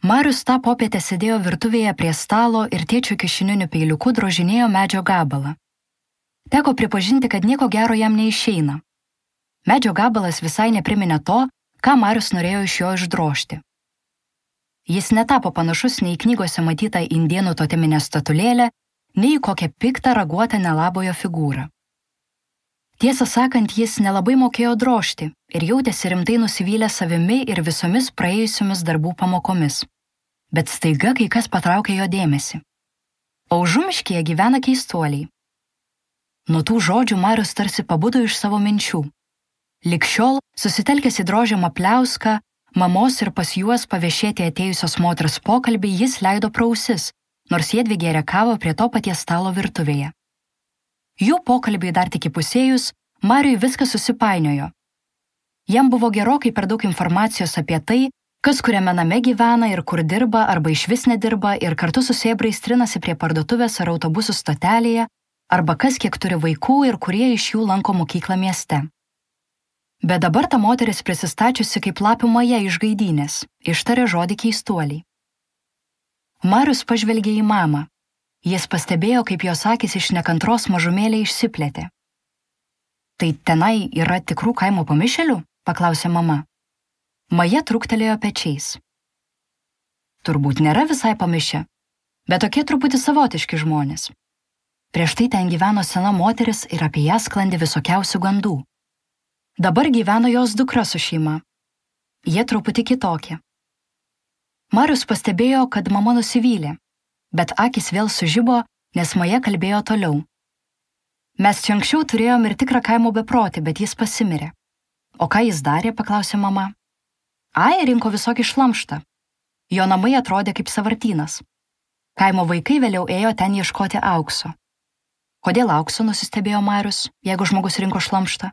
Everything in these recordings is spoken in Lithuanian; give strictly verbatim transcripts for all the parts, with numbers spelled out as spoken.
Marius tą popietę sėdėjo virtuvėje prie stalo ir tėčio kišeniniu peiliuku drožinėjo medžio gabalą. Teko pripažinti, kad nieko gero jam neišeina. Medžio gabalas visai nepriminė to, ką Marius norėjo iš jo išdrožti. Jis netapo panašus nei knygose matytą indėnų toteminę statulėlę, nei į kokią piktą raguotą nelabojo figūrą. Tiesą sakant, jis nelabai mokėjo drožti ir jautėsi rimtai nusivylę savimi ir visomis praėjusiomis darbų pamokomis. Bet staiga kai kas patraukė jo dėmesį. O užumiškyje gyvena keistuoliai. Nuo tų žodžių Marius tarsi pabudo iš savo minčių. Lig šiol, susitelkęs į drožiamą pliauską, mamos ir pas juos paviešėti atėjusios moters pokalbį jis leido pro ausis, nors jiedvi gėrė kavą prie to paties stalo virtuvėje. Jų pokalbiai dar tik įpusėjus, Mariui viskas susipainiojo. Jam buvo gerokai per daug informacijos apie tai, kas kuriame name gyvena ir kur dirba arba išvis nedirba ir kartu su sėbrais trinasi prie parduotuvės ar autobusų stotelėje, arba kas kiek turi vaikų ir kurie iš jų lanko mokyklą mieste. Bet dabar ta moteris prisistačiusi kaip lapių maja iš gaidynės, ištarė žodį keistuoliai. Marius pažvelgė į mamą. Jis pastebėjo, kaip jos akys iš nekantros mažumėlė išsiplėtė. Tai tenai yra tikrų kaimo pamišėlių? Paklausė mama. Maja trūktelėjo pečiais. Turbūt nėra visai pamišę, bet tokie truputį savotiški žmonės. Prieš tai ten gyveno sena moteris ir apie ją sklandė visokiausių gandų. Dabar gyveno jos dukra su šeima. Jie truputį kitokie. Marius pastebėjo, kad mama nusivylė, bet akis vėl sužibo, nes Maja kalbėjo toliau. Mes čia anksčiau turėjom ir tikrą kaimo beprotį, bet jis pasimirė. O ką jis darė, paklausė mama. Ai, rinko visokį šlamštą. Jo namai atrodė kaip sąvartynas. Kaimo vaikai vėliau ėjo ten ieškoti aukso. Kodėl aukso, nusistebėjo Marius, jeigu žmogus rinko šlamštą?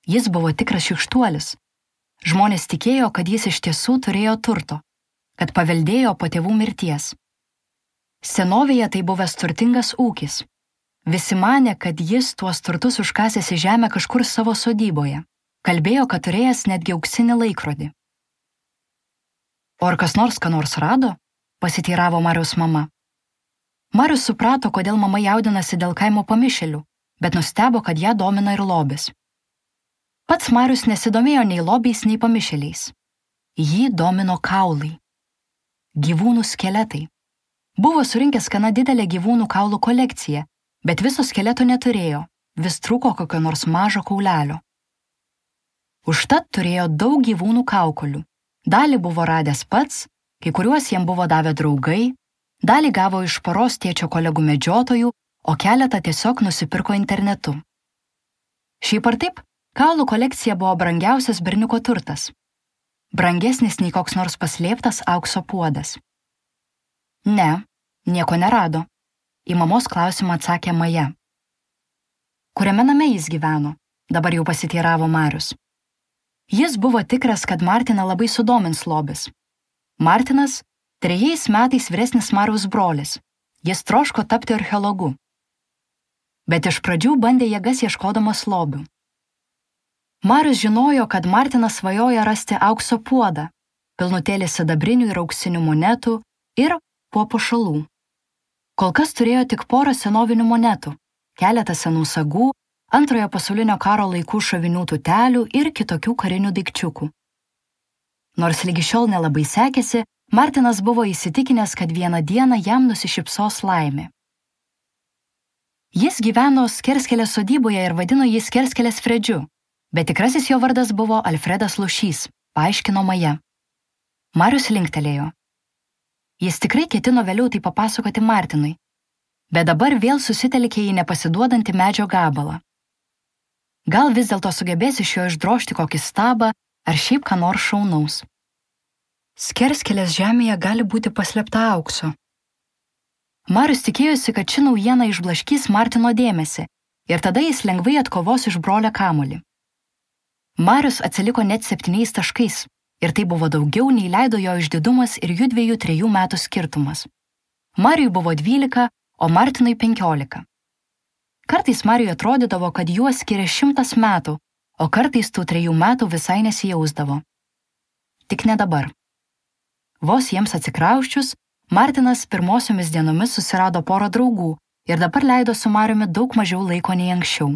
Jis buvo tikras šykštuolis. Žmonės tikėjo, kad jis iš tiesų turėjo turto, kad paveldėjo po tėvų mirties. Senovėje tai buvęs turtingas ūkis. Visi manė, kad jis tuos turtus užkasęs į žemę kažkur savo sodyboje. Kalbėjo, kad turėjęs netgi auksinį laikrodį. O ar kas nors ką nors rado? Pasiteiravo Mariaus mama. Marius suprato, kodėl mama jaudinasi dėl kaimo pamišėlių, bet nustebo, kad ją domina ir lobis. Pats Marius nesidomėjo nei lobiais, nei pamišėliais. Jį domino kaulai. Gyvūnų skeletai. Buvo surinkęs gana didelę gyvūnų kaulų kolekciją, bet viso skeleto neturėjo, vis trūko kokio nors mažo kaulelio. Užtat turėjo daug gyvūnų kaukolių. Dalį buvo radęs pats, kai kuriuos jam buvo davę draugai, dalį gavo iš poros tėčio kolegų medžiotojų, o keletą tiesiog nusipirko internetu. Šiaip ar taip, kaulų kolekcija buvo brangiausias berniuko turtas. Brangesnis nei koks nors paslėptas aukso puodas. Ne, nieko nerado. Į mamos klausimą atsakė Maja. Kuriame name jis gyveno? Dabar jau pasiteiravo Marius. Jis buvo tikras, kad Martiną labai sudomins lobis. Martinas – trejais metais vyresnis Mariaus brolis. Jis troško tapti archeologu. Bet iš pradžių bandė jėgas ieškodamas lobių. Marius žinojo, kad Martinas svajoja rasti aukso puodą, pilnutėlį sidabrinių ir auksinių monetų ir papuošalų. Kol kas turėjo tik porą senovinių monetų, keletą senų sagų, antrojo pasaulinio karo laikų šovinių tutelių ir kitokių karinių daikčiukų. Nors lygi šiol nelabai sekėsi, Martinas buvo įsitikinęs, kad vieną dieną jam nusišypsos laimė. Jis gyveno Skerskelės sodyboje ir vadino jį Skerskelės Fredžiu, bet tikrasis jo vardas buvo Alfredas Lušys, paaiškino Maja. Marius linktelėjo. Jis tikrai ketino vėliau tai papasakoti Martinui, bet dabar vėl susitelkė į nepasiduodantį medžio gabalą. Gal vis dėlto sugebės iš jo išdrožti kokį stabą ar šiaip ką nors šaunaus. Skerskelės žemėje gali būti paslėpta aukso. Marius tikėjosi, kad ši naujiena išblaškys Martino dėmesį ir tada jis lengvai atkovos iš brolio kamuolį. Marius atsiliko net septyniais taškais. Ir tai buvo daugiau, nei leido jo išdidumas ir jų dviejų trejų metų skirtumas. Mariui buvo dvylika, o Martinui penkiolika. Kartais Mariui atrodydavo, kad juos skiria šimtas metų, o kartais tų trejų metų visai nesijausdavo. Tik ne dabar. Vos jiems atsikrauščius, Martinas pirmosiomis dienomis susirado porą draugų ir dabar leido su Mariumi daug mažiau laiko nei anksčiau.